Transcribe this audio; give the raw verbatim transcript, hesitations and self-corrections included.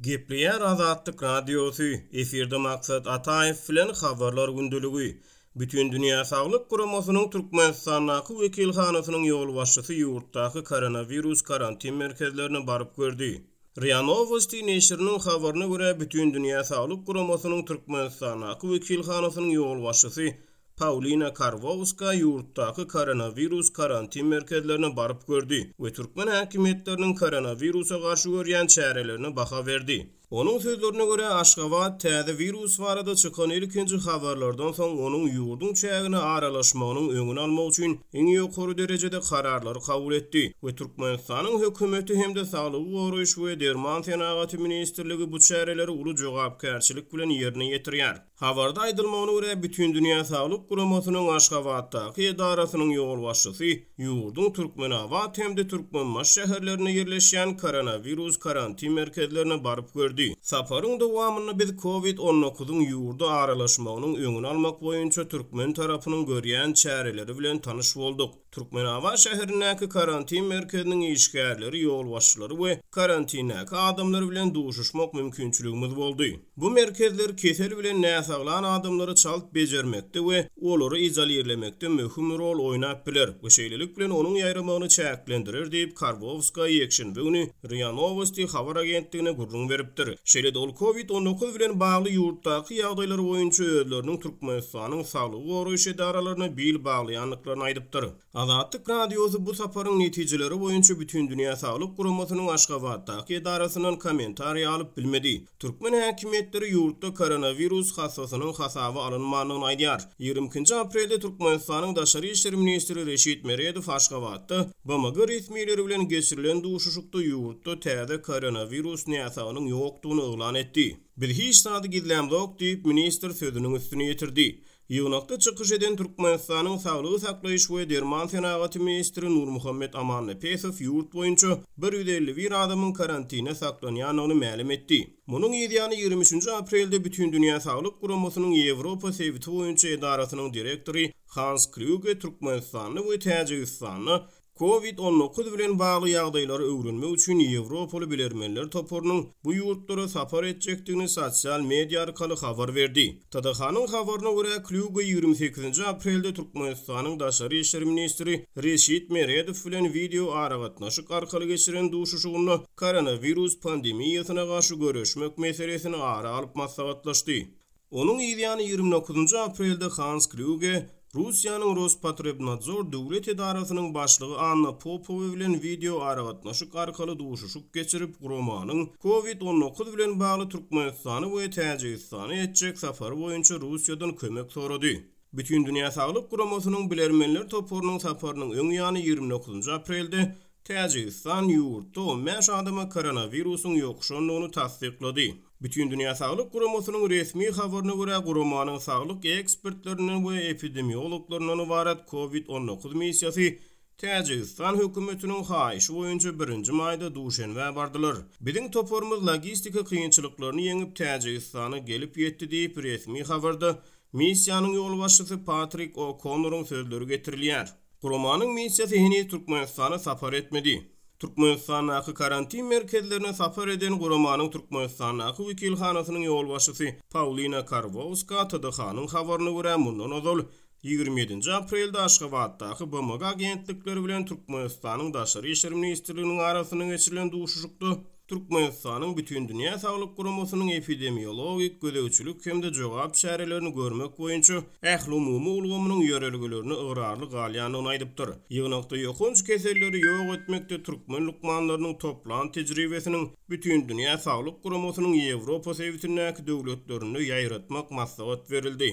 Gepleýär Azatlyk Radiosy, efirde Maksat Ataýew bilen Habarlar gündeligi. Bütindünýä Saglyk Guramasynyň Türkmenistandaky wekilhanasynyň ýolbaşçysy ýurtdaky koronawirus karantin merkezlerine baryp gördi. RIA Nowosti neşiriniň habaryna görä, Bütindünýä Saglyk Guramasynyň Türkmenistandaky wekilhanasynyň ýolbaşçysy Paulina Karwowska ýurtdaky koronawirus karantin merkezlerine baryp gördi we türkmen häkimiýetleriniň koronawirusa garşy görýän çärelerine baha berdi. Onuň sözlerine görä, Aşgabat täze wirus barada çykan ilkinji habarlardan soň onuň ýurduň çägine aralaşmagynyň öňüni almak üçin iň ýokary derejede kararlary kabul etdi we Türkmenistanyň hökümeti hem-de Saglygy goraýyş we derman senagaty ministrligi bu çäreleri uly jogapkärçilik bilen ýerine ýetirýär. Habarda aýdylmagyna görä, Bütindünýä Saglyk Guramasynyň Aşgabatdaky edarasynyň ýolbaşçysy ýurduň Türkmenabat hem-de Türkmenbaşy şäherlerinde ýerleşýän koronawirus karantin merkezlerine baryp gördi. Saparyň dowamynda biz Covid on dokuzyň ýurda aralaşmagynyň öňüni almak boýunça türkmen tarapynyň görýän çäreleri bilen tanyş bolduk. Türkmenabat şäherindäki karantin merkeziniň işgärleri, ýolbaşçylary we karantindäki adamlar bilen duşuşmak mümkinçiligimiz boldy. Bu merkezler kesel bilen näsaglan adamlary çalt bejermekde we olary izolirlemekde möhüm rol oýnap biler we şeýlelik bilen onuň ýaýramagyny çäklendirer diýip Karwowska ýekşenbe güni RIA Nowosti habar agentligine gürrüň beripdir. Şeýle-de ol Covid on dokuz bilen bagly ýurtdaky ýagdaýlar boýunça özleriniň Türkmenistanyň saglygy goraýyş edaralaryna bil baglaýandyklaryny aýdypdyr. Azatlyk Radiosy bu saparyň netijeleri boýunça Bütindünýä Saglyk Guramasynyň Aşgabatdaky edarasyndan kommentariý alyp bilmedi. Türkmen häkimiýetleri ýurtda koronawirus hassasynyň hasaba alynmandygyny aýdýar. Ýigrimi ikinji aprelde Türkmenistanyň Daşary işler ministri Reşit Meredow Aşgabatda B M G resmileri bilen geçirilen duşuşykda ýurtda täze koronawirus näsagynyň ýokdugyny yglan etdi. Biz hiç zady gizlämzok diýip ministr sözüniň üstüni ýetirdi. Ýygnakda çykyş eden Türkmenistanyň Saglygy saklaýyş we derman senagaty ministri Nurmuhammet Amannepesow ýurt boýunça bir ýüz elli bir adamyň karantine saklanýandygyny mälim etdi. Munuň ýany ýigrimi üçünji aprelde Bütindünýä Saglyk Guramasynyň Ýewropa sebiti boýunça edarasynyň direktory Hans Kluge Türkmenistanda we Täjigistanda Covid on dokuz bilen bagly ýagdaýlary öwrenmek üçin Ýewropaly bilermenler toparynyň bu ýurtlara sapar etjekdigini sosial media arkaly habar berdi. T D H-nyň habaryna görä Kluge ýigrimi sekizinji aprelde Türkmenistanyň Daşary işler ministri Reşit Meredow bilen wideo aragatnaşyk arkaly geçiren duşuşygynda koronawirus pandemiýasyna garşy göreşmek meselesini ara alyp maslahatlaşdy. Onuň ýany ýigrimi dokuzynjy aprelde Hans Kluge Russiýanyň Rospotrebnadzor döwlet edarasynyň başlygy Anna Popowa bilen wideo aragatnaşyk arkaly duşuşyk geçirip, guramanyň Covid on dokuz bilen bagly Türkmenistany we Täjigistany etjek safary boýunça Russiýadan kömek sorady. Bütindünýä Saglyk Guramasynyň bilermenler toparynyň saparynyň öň ýany ýigrimi dokuzynjy aprelde Täjigistan ýurtda on bäş adama koronawirusyň ýokuşandygyny tassyklady. Bütindünýä Saglyk Guramasynyň resmi habaryna görä guramanyň saglyk ekspertlerinden we epidemiologlaryndan ybarat Covid on dokuz missiýasy Täjigistan hökümetiniň haýyşy boýunça birinji maýda Duşenbä bardylar. Biziň toparymyz logistika kynçylyklaryny ýeňip Täjigistana gelip ýetdi diýip resmi habarda missiýanyň ýolbaşçysy Patrik O'Connoryň sözleri getirilýär. Guramanyň missiýasy heniz Türkmenistana sapar etmedi. Türkmenistandaky karantin merkezlerine sapar eden guramanyň Türkmenistandaky wekilhanasynyň ýolbaşçysy Paulina Karwowska T D H-nyň habaryna görä mundan ozal ýigrimi ýedinji aprelde Aşgabatdaky B M G agentlikleri bilen Türkmenistanyň Daşary işler ministrliginiň arasynda geçirilen duşuşykda Türkmenistanyň Bütindünýä Saglyk Guramasynyň epidemiologik gözegçilik hem-de jogap çärelerini görmek boýunça ählumumy ulgamynyň ýörelgelerini ygrarly galýandygyny aýdypdyr. Ýygnakda ýokanç keselleri ýok etmekde türkmen lukmanlarynyň toplan tejribesiniň Bütindünýä Saglyk Guramasynyň Ýewropa sebitindäki döwletlerinde ýaýratmak maslahat berildi.